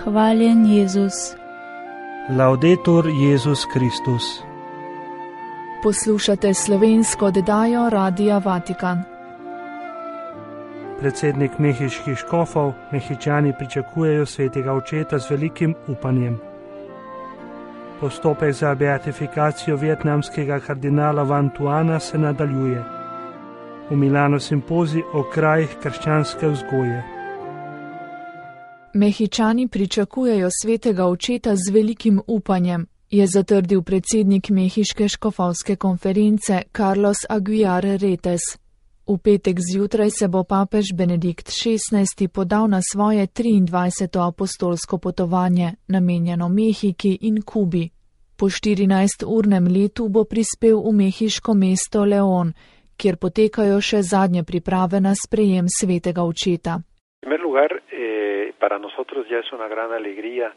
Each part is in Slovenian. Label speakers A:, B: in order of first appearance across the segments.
A: Hvaljen Jezus.
B: Laudetur Jezus Kristus.
C: Poslušate slovensko oddajo Radia Vatikan.
B: Predsednik mehiških škofov, Mehičani pričakujejo svetega očeta z velikim upanjem. Postopek za beatifikacijo vietnamskega kardinala Van Thuana se nadaljuje. V Milanu simpozij o krajih krščanske vzgoje.
C: Mehičani pričakujejo svetega očeta z velikim upanjem, je zatrdil predsednik Mehiške škofovske konference Carlos Aguiar Retes. V petek zjutraj se bo papež Benedikt XVI podal na svoje 23. apostolsko potovanje, namenjeno Mehiki in Kubi. Po 14-urnem letu bo prispel v mehiško mesto León, kjer potekajo še zadnje priprave na sprejem svetega očeta.
D: Para nosotros ya es una gran alegría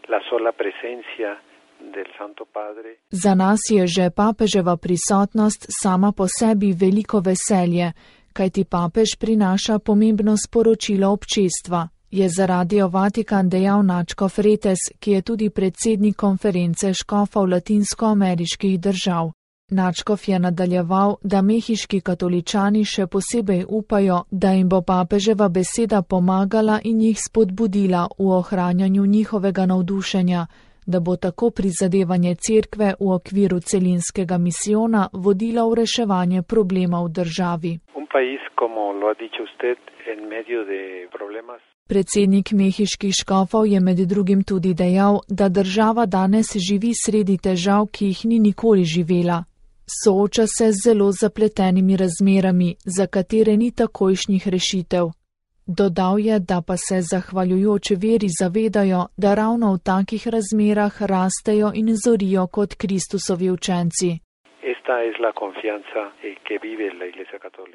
D: la sola presencia del Santo Padre.
C: Za nas je že papeževa prisotnost sama po sebi veliko veselje, kajti papež prinaša pomembno sporočilo občestva, je za Radio Vatikan dejal nadškof Retes, ki je tudi predsednik konference škofov latinskoameriških držav. Nadškof je nadaljeval, da mehiški katoličani še posebej upajo, da jim bo papeževa beseda pomagala in jih spodbudila v ohranjanju njihovega navdušenja, da bo tako prizadevanje cerkve v okviru celinskega misijona vodila v reševanje problema v državi. Predsednik mehiških škofov je med drugim tudi dejal, da država danes živi sredi težav, ki jih ni nikoli živela. Sooča se z zelo zapletenimi razmerami, za katere ni takojšnjih rešitev. Dodal je, da pa se zahvaljujoč veri zavedajo, da ravno v takih razmerah rastejo in zorijo kot Kristusovi učenci.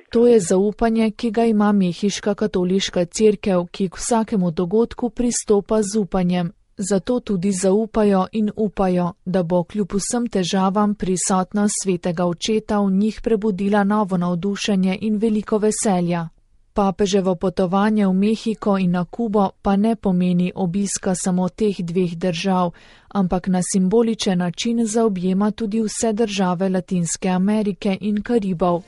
C: To je zaupanje, ki ga ima mehiška katoliška cerkev, ki k vsakemu dogodku pristopa z upanjem. Zato tudi zaupajo in upajo, da bo kljub vsem težavam prisotnost svetega očeta v njih prebudila novo navdušenje in veliko veselja. Papeževo potovanje v Mehiko in na Kubo pa ne pomeni obiska samo teh dveh držav, ampak na simboličen način zaobjema tudi vse države Latinske Amerike in Karibov.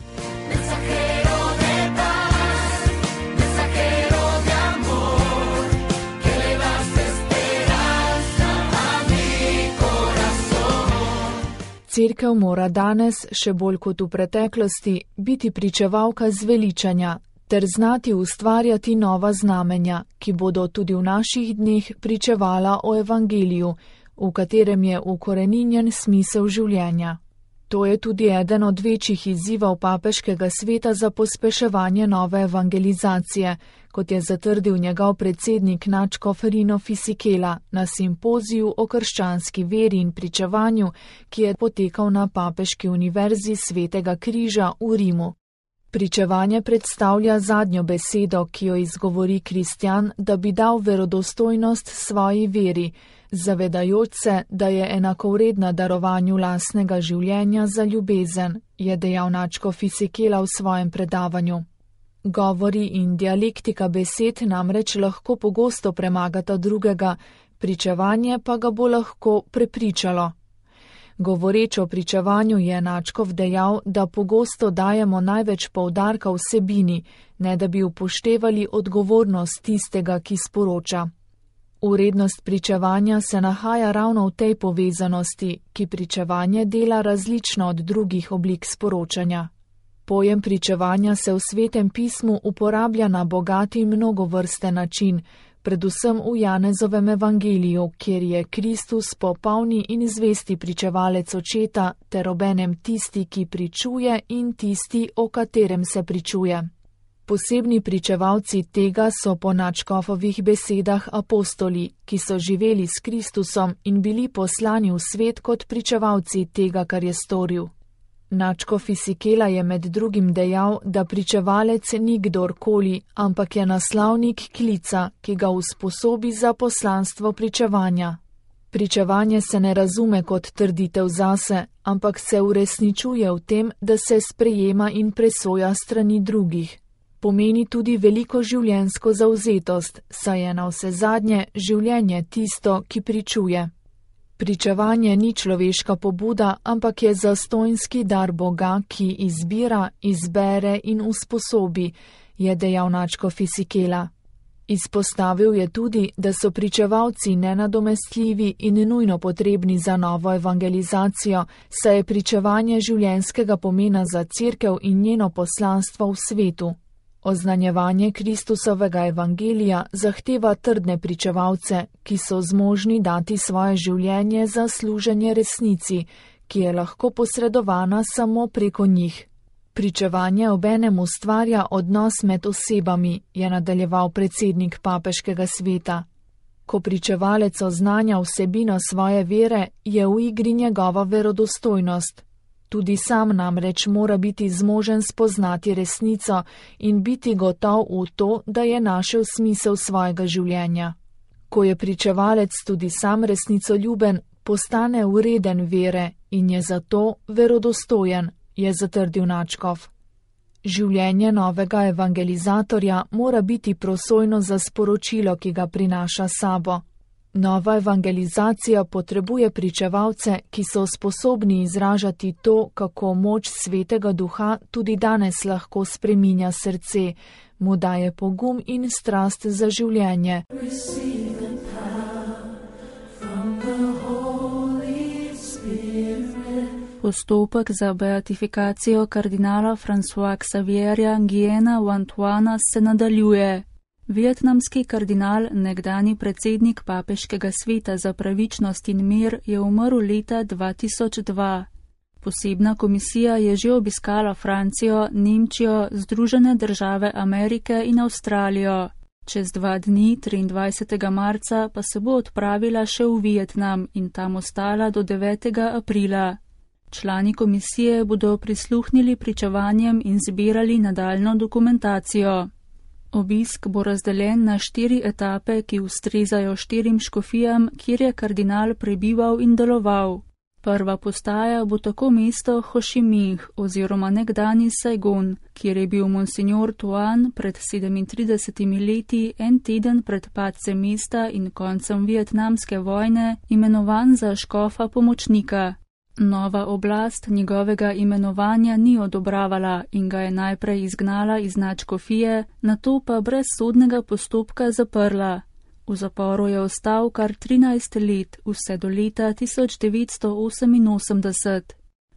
C: Cerkev mora danes, še bolj kot v preteklosti, biti pričevalka zveličanja ter znati ustvarjati nova znamenja, ki bodo tudi v naših dneh pričevala o evangeliju, v katerem je ukoreninjen smisel življenja. To je tudi eden od večjih izzivov papeškega sveta za pospeševanje nove evangelizacije, kot je zatrdil njegov predsednik nadškof Rino Fisichella na simpoziju o krščanski veri in pričevanju, ki je potekal na Papeški univerzi Svetega križa v Rimu. Pričevanje predstavlja zadnjo besedo, ki jo izgovori kristjan, da bi dal verodostojnost svoji veri, zavedajoč se, da je enakovredna darovanju lastnega življenja za ljubezen, je dejal nadškof Fisichella v svojem predavanju. Govori in dialektika besed namreč lahko pogosto premagata drugega, pričevanje pa ga bo lahko prepričalo. Govoreč o pričevanju je nadškof dejal, da pogosto dajemo največ poudarka vsebini, ne da bi upoštevali odgovornost tistega, ki sporoča. Vrednost pričevanja se nahaja ravno v tej povezanosti, ki pričevanje dela različno od drugih oblik sporočanja. Pojem pričevanja se v Svetem pismu uporablja na bogat in mnogovrsten način, predvsem v Janezovem evangeliju, kjer je Kristus popolni in zvesti pričevalec očeta ter obenem tisti, ki pričuje in tisti, o katerem se pričuje. Posebni pričevalci tega so po nadškofovih besedah apostoli, ki so živeli s Kristusom in bili poslani v svet kot pričevalci tega, kar je storil. Nadškof Fisichella je med drugim dejal, da pričevalec ni kdorkoli, ampak je naslavnik klica, ki ga usposobi za poslanstvo pričevanja. Pričevanje se ne razume kot trditev zase, ampak se uresničuje v tem, da se sprejema in presoja strani drugih. pomeni tudi veliko življenjsko zavzetost, saj je navsezadnje življenje tisto, ki pričuje. Pričevanje ni človeška pobuda, ampak je zastonjski dar Boga, ki izbira, izbere in usposobi, je dejal nadškof Isikela. Izpostavil je tudi, da so pričevalci nenadomestljivi in nujno potrebni za novo evangelizacijo, saj je pričevanje življenjskega pomena za Cerkev in njeno poslanstvo v svetu. Oznanjevanje Kristusovega evangelija zahteva trdne pričevalce, ki so zmožni dati svoje življenje za služenje resnici, ki je lahko posredovana samo preko njih. Pričevanje obenem ustvarja odnos med osebami, je nadaljeval predsednik papeškega sveta. Ko pričevalec oznanja vsebino svoje vere, je v igri njegova verodostojnost. Tudi sam namreč mora biti zmožen spoznati resnico in biti gotov v to, da je našel smisel svojega življenja. Ko je pričevalec tudi sam resnicoljuben, postane vreden vere in je zato verodostojen, je zatrdil nadškof. Življenje novega evangelizatorja mora biti prosojno za sporočilo, ki ga prinaša sabo. Nova evangelizacija potrebuje pričevalce, ki so sposobni izražati to, kako moč Svetega Duha tudi danes lahko spreminja srce, mu daje pogum in strast za življenje.
A: Postopek za beatifikacijo kardinala Françoisa Xavierja Nguyena v Antoana se nadaljuje. Vietnamski kardinal, nekdani predsednik papeškega sveta za pravičnost in mir, je umrl leta 2002. Posebna komisija je že obiskala Francijo, Nemčijo, Združene države Amerike in Avstralijo. Čez 2 dni, 23. marca, pa se bo odpravila še v Vietnam in tam ostala do 9. aprila. Člani komisije bodo prisluhnili pričevanjem in zbirali nadaljnjo dokumentacijo. Obisk bo razdeljen na 4 etape, ki ustrezajo 4 škofijam, kjer je kardinal prebival in deloval. Prva postaja bo tako mesto Ho Chi Minh oziroma nekdani Saigon, kjer je bil monsignor Tuan pred 37 leti, en teden pred padcem mesta in koncem vietnamske vojne, imenovan za škofa pomočnika. Nova oblast njegovega imenovanja ni odobravala in ga je najprej izgnala iz nadškofije, nato pa brez sodnega postopka zaprla. V zaporu je ostal kar 13 let, vse do leta 1988.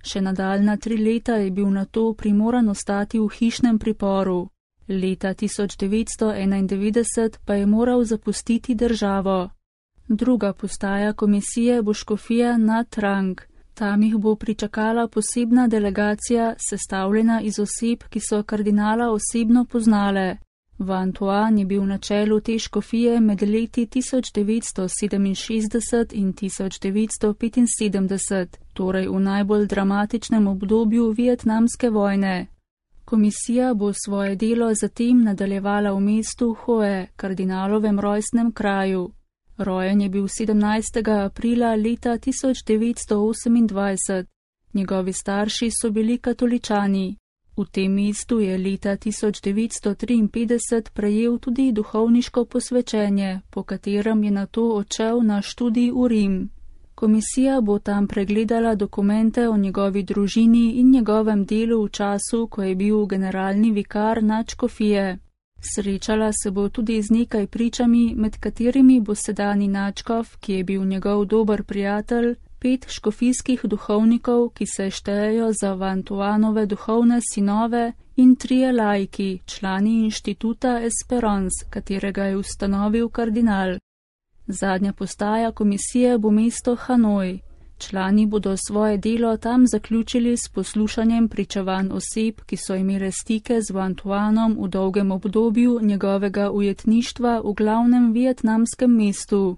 A: Še nadaljna 3 leta je bil nato primoran ostati v hišnem priporu. Leta 1991 pa je moral zapustiti državo. Druga postaja komisije bo škofija Nha Trang. Tam jih bo pričakala posebna delegacija, sestavljena iz oseb, ki so kardinala osebno poznale. Van Thuan je bil na čelu te škofije med leti 1967 in 1975, torej v najbolj dramatičnem obdobju vietnamske vojne. Komisija bo svoje delo zatem nadaljevala v mestu Hue, kardinalovem rojstnem kraju. Rojen je bil 17. aprila leta 1928. Njegovi starši so bili katoličani. V tem mestu je leta 1953 prejel tudi duhovniško posvečenje, po katerem je nato odšel na študij v Rim. Komisija bo tam pregledala dokumente o njegovi družini in njegovem delu v času, ko je bil generalni vikar nadškofije. Srečala se bo tudi z nekaj pričami, med katerimi bo sedanji nadškof, ki je bil njegov dober prijatelj, 5 škofijskih duhovnikov, ki se štejejo za Van Thuanove duhovne sinove, in 3 laiki, člani inštituta Esperance, katerega je ustanovil kardinal. Zadnja postaja komisije bo mesto Hanoj. Člani bodo svoje delo tam zaključili s poslušanjem pričevanj oseb, ki so imele stike z Van Thuanom v dolgem obdobju njegovega ujetništva v glavnem vietnamskem mestu.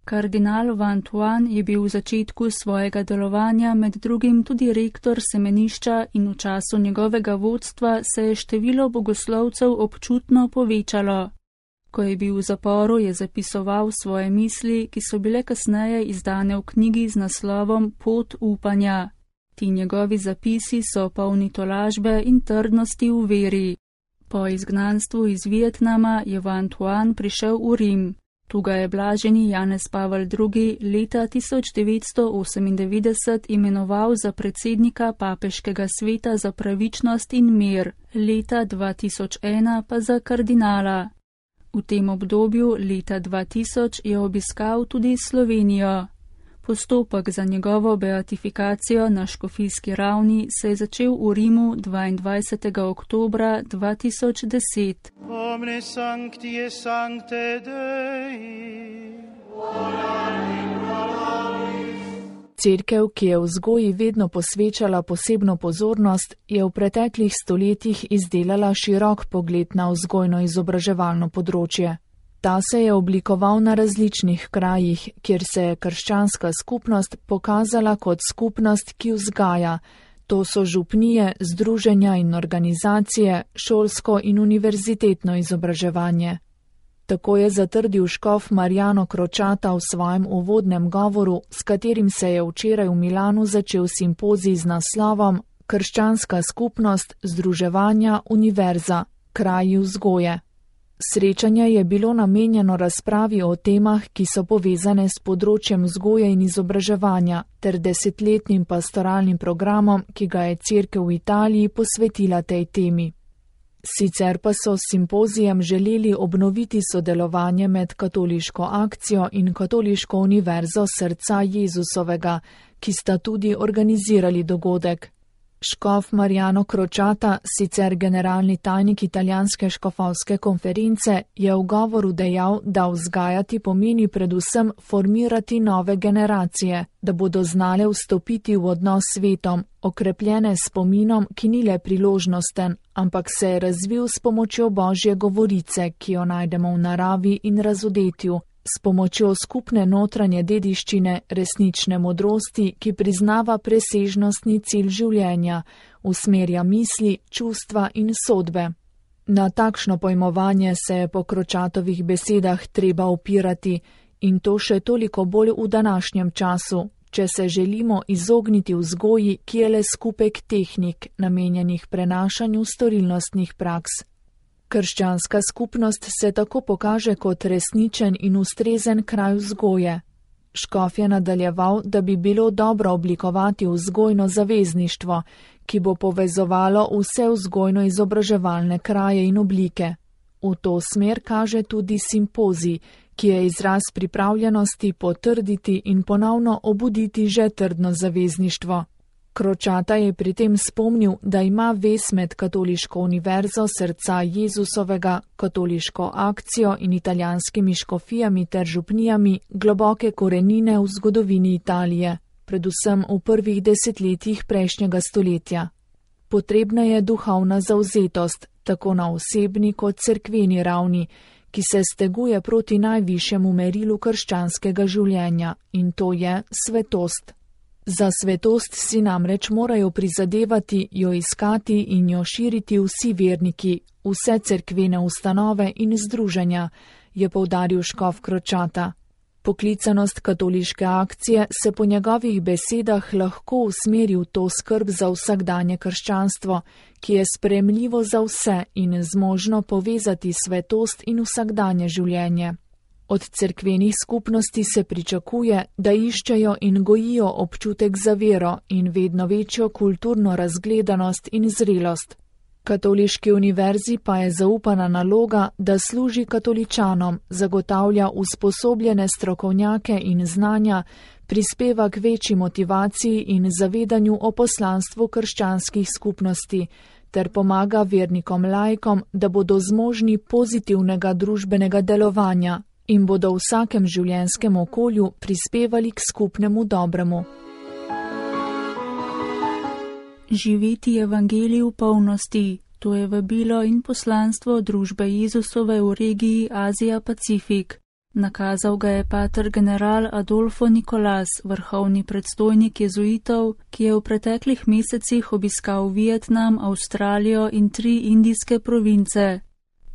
A: Kardinal Van Thuan je bil v začetku svojega delovanja med drugim tudi rektor semenišča in v času njegovega vodstva se je število bogoslovcev občutno povečalo. Ko je bil v zaporu, je zapisoval svoje misli, ki so bile kasneje izdane v knjigi z naslovom Pot upanja. Ti njegovi zapisi so polni tolažbe in trdnosti v veri. Po izgnanstvu iz Vietnama je Van Thuan prišel v Rim. Tu ga je blaženi Janez Pavel II. Leta 1998 imenoval za predsednika Papeškega sveta za pravičnost in mir, leta 2001 pa za kardinala. V tem obdobju leta 2000 je obiskal tudi Slovenijo. Postopek za njegovo beatifikacijo na škofijski ravni se je začel v Rimu 22. oktobra 2010.
E: Omne sancti et sancte Dei.
C: Cerkev, ki je vzgoji vedno posvečala posebno pozornost, je v preteklih stoletjih izdelala širok pogled na vzgojno-izobraževalno področje. Ta se je oblikoval na različnih krajih, kjer se je krščanska skupnost pokazala kot skupnost, ki vzgaja. To so župnije, združenja in organizacije, šolsko in univerzitetno izobraževanje. Tako je zatrdil škof Marjano Kročata v svojem uvodnem govoru, s katerim se je včeraj v Milanu začel simpozij z naslovom Krščanska skupnost, združevanja, univerza, kraji vzgoje. Srečanje je bilo namenjeno razpravi o temah, ki so povezane s področjem vzgoje in izobraževanja, ter 10-letnim pastoralnim programom, ki ga je Cerkev v Italiji posvetila tej temi. Sicer pa so s simpozijem želeli obnoviti sodelovanje med Katoliško akcijo in Katoliško univerzo Srca Jezusovega, ki sta tudi organizirali dogodek. Škof Marjano Kročata, sicer generalni tajnik italijanske škofovske konference, je v govoru dejal, da vzgajati pomeni predvsem formirati nove generacije, da bodo znale vstopiti v odnos s svetom, okrepljene s spominom, ki ni le priložnosten, ampak se je razvil s pomočjo Božje govorice, ki jo najdemo v naravi in razodetju, s pomočjo skupne notranje dediščine, resnične modrosti, ki priznava presežnostni cilj življenja, usmerja misli, čustva in sodbe. Na takšno pojmovanje se je po Kročatovih besedah treba opirati in to še toliko bolj v današnjem času, če se želimo izogniti vzgoji, ki je le skupek tehnik, namenjenih prenašanju storilnostnih praks. Krščanska skupnost se tako pokaže kot resničen in ustrezen kraj vzgoje. Škof je nadaljeval, da bi bilo dobro oblikovati vzgojno zavezništvo, ki bo povezovalo vse vzgojno-izobraževalne kraje in oblike. V to smer kaže tudi simpozij, ki je izraz pripravljenosti potrditi in ponovno obuditi že trdno zavezništvo. Kročata je pri tem spomnil, da ima vez med Katoliško univerzo Srca Jezusovega, Katoliško akcijo in italijanskimi škofijami ter župnijami globoke korenine v zgodovini Italije, predvsem v prvih desetletjih prejšnjega stoletja. Potrebna je duhovna zavzetost, tako na osebni kot cerkveni ravni, ki se steguje proti najvišjemu merilu krščanskega življenja, in to je svetost. Za svetost si namreč morajo prizadevati, jo iskati in jo širiti vsi verniki, vse cerkvene ustanove in združenja, je poudaril škof Kročata. Poklicanost katoliške akcije se po njegovih besedah lahko usmeri v to skrb za vsakdanje krščanstvo, ki je sprejemljivo za vse in zmožno povezati svetost in vsakdanje življenje. Od cerkvenih skupnosti se pričakuje, da iščejo in gojijo občutek za vero in vedno večjo kulturno razgledanost in zrelost. Katoliški univerzi pa je zaupana naloga, da služi katoličanom, zagotavlja usposobljene strokovnjake in znanja, prispeva k večji motivaciji in zavedanju o poslanstvu krščanskih skupnosti, ter pomaga vernikom laikom, da bodo zmožni pozitivnega družbenega delovanja in bodo v vsakem življenjskem okolju prispevali k skupnemu dobremu.
A: Živeti evangelij v polnosti, to je vabilo in poslanstvo družbe Jezusove v regiji Azija-Pacifik. Nakazal ga je pater general Adolfo Nicolas, vrhovni predstojnik jezuitov, ki je v preteklih mesecih obiskal Vietnam, Avstralijo in 3 indijske province.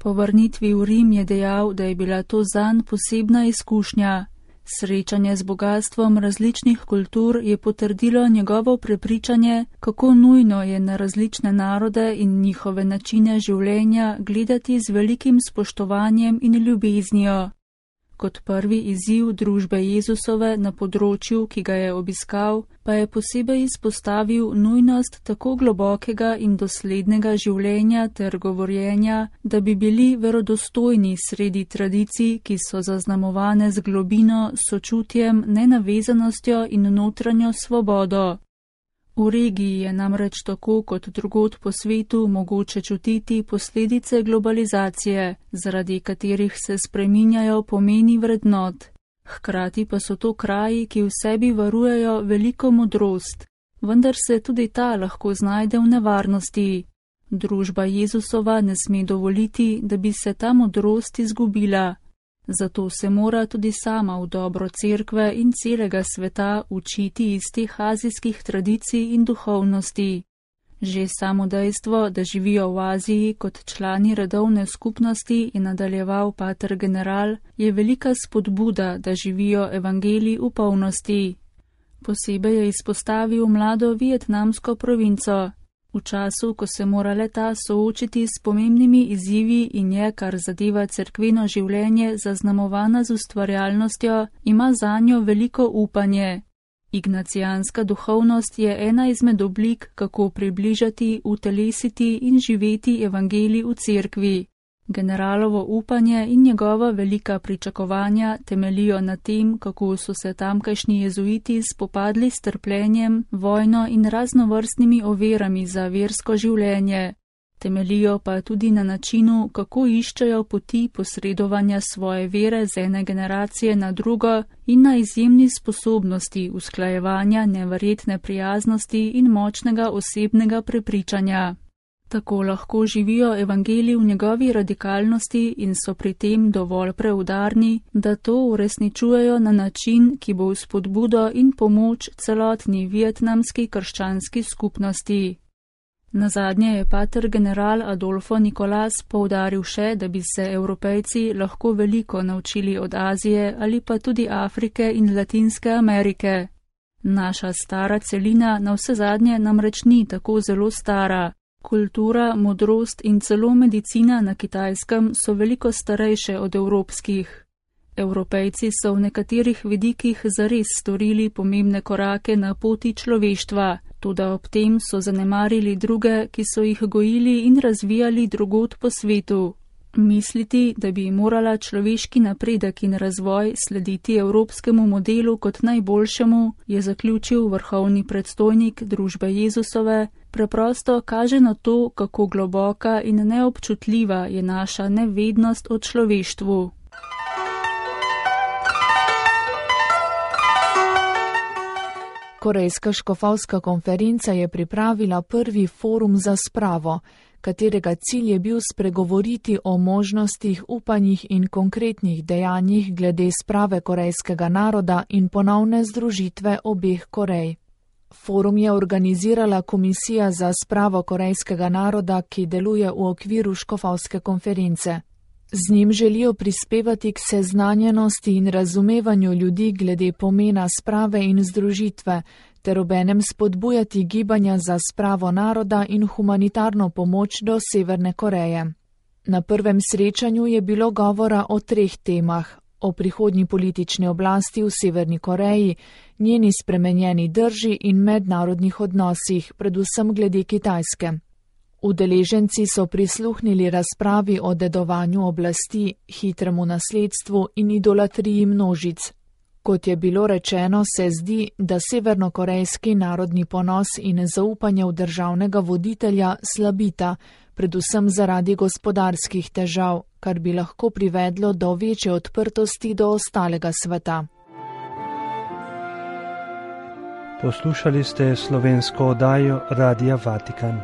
A: Po vrnitvi v Rim je dejal, da je bila to zanj posebna izkušnja. Srečanje z bogatstvom različnih kultur je potrdilo njegovo prepričanje, kako nujno je na različne narode in njihove načine življenja gledati z velikim spoštovanjem in ljubeznijo. Kot prvi izziv družbe Jezusove na področju, ki ga je obiskal, pa je posebej izpostavil nujnost tako globokega in doslednega življenja ter govorjenja, da bi bili verodostojni sredi tradicij, ki so zaznamovane z globino, sočutjem, nenavezanostjo in notranjo svobodo. V regiji je namreč tako kot drugod po svetu mogoče čutiti posledice globalizacije, zaradi katerih se spreminjajo pomeni vrednot. Hkrati pa so to kraji, ki v sebi varujejo veliko modrost, vendar se tudi ta lahko znajde v nevarnosti. Družba Jezusova ne sme dovoliti, da bi se ta modrost izgubila. Zato se mora tudi sama v dobro cerkve in celega sveta učiti iz teh azijskih tradicij in duhovnosti. Že samo dejstvo, da živijo v Aziji kot člani redovne skupnosti, je nadaljeval pater general, je velika spodbuda, da živijo evangelij v polnosti. Posebej je izpostavil mlado vietnamsko provinco. V času, ko se mora le-ta soočiti s pomembnimi izzivi in je, kar zadeva cerkveno življenje, zaznamovana z ustvarjalnostjo, ima zanjo veliko upanje. Ignacijanska duhovnost je ena izmed oblik, kako približati, utelesiti in živeti evangelij v cerkvi. Generalovo upanje in njegova velika pričakovanja temelijo na tem, kako so se tamkajšnji jezuiti spopadli s trpljenjem, vojno in raznovrstnimi ovirami za versko življenje. Temelijo pa tudi na načinu, kako iščejo poti posredovanja svoje vere z ene generacije na drugo in na izjemni sposobnosti usklajevanja neverjetne prijaznosti in močnega osebnega prepričanja. Tako lahko živijo evangelij v njegovi radikalnosti in so pri tem dovolj preudarni, da to uresničujejo na način, ki bo v spodbudo in pomoč celotni vietnamski krščanski skupnosti. Nazadnje je pater general Adolfo Nicolas poudaril še, da bi se Evropejci lahko veliko naučili od Azije ali pa tudi Afrike in Latinske Amerike. Naša stara celina navsezadnje namreč ni tako zelo stara. Kultura, modrost in celo medicina na Kitajskem so veliko starejše od evropskih. Evropejci so v nekaterih vidikih zares storili pomembne korake na poti človeštva, toda ob tem so zanemarili druge, ki so jih gojili in razvijali drugod po svetu. Misliti, da bi morala človeški napredek in razvoj slediti evropskemu modelu kot najboljšemu, je zaključil vrhovni predstojnik družbe Jezusove, preprosto kaže na to, kako globoka in neobčutljiva je naša nevednost o človeštvu.
C: Korejska škofovska konferenca je pripravila prvi forum za spravo, katerega cilj je bil spregovoriti o možnostih, upanjih in konkretnih dejanjih glede sprave korejskega naroda in ponovne združitve obeh Korej. Forum je organizirala Komisija za spravo korejskega naroda, ki deluje v okviru škofovske konference. Z njim želijo prispevati k seznanjenosti in razumevanju ljudi glede pomena sprave in združitve, ter obenem spodbujati gibanja za spravo naroda in humanitarno pomoč do Severne Koreje. Na prvem srečanju je bilo govora o 3 temah: o prihodnji politični oblasti v Severni Koreji, njeni spremenjeni drži in mednarodnih odnosih, predvsem glede Kitajske. Udeleženci so prisluhnili razpravi o dedovanju oblasti, hitremu nasledstvu in idolatriji množic. Kot je bilo rečeno, se zdi, da severnokorejski narodni ponos in zaupanje v državnega voditelja slabita, predvsem zaradi gospodarskih težav, kar bi lahko privedlo do večje odprtosti do ostalega sveta.
B: Poslušali ste slovensko oddajo Radia Vatikan.